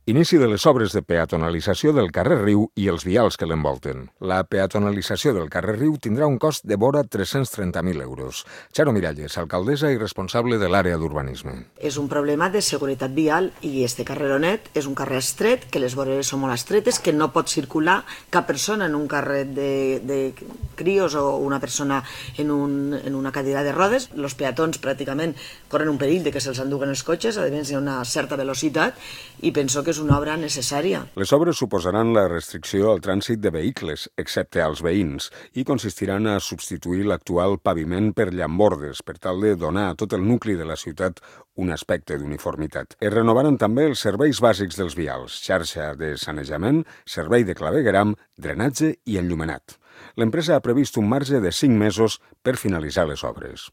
Inici de les obres de peatonalització del carrer Riu i els vials que l'envolten. La peatonalització del carrer Riu tindrà un cost de vora 330.000 euros. Charo Miralles, alcaldessa i responsable de l'àrea d'urbanisme. És un problema de seguretat vial i este carreronet és un carrer estret, que les voreres són molt estretes, que no pot circular cap persona en un carrer de crios o una persona en una cadira de rodes. Els peatons pràcticament corren un perill de que se'ls enduguen els cotxes, a més hi ha una certa velocitat i penso que és una obra necessària. Les obres suposaran la restricció al trànsit de vehicles, excepte als veïns, i consistiran a substituir l'actual paviment per llambordes, per tal de donar a tot el nucli de la ciutat un aspecte d'uniformitat. Es renovaran també els serveis bàsics dels vials, xarxa de sanejament, servei de clavegueram, drenatge i enllumenat. L'empresa ha previst un marge de 5 mesos per finalitzar les obres.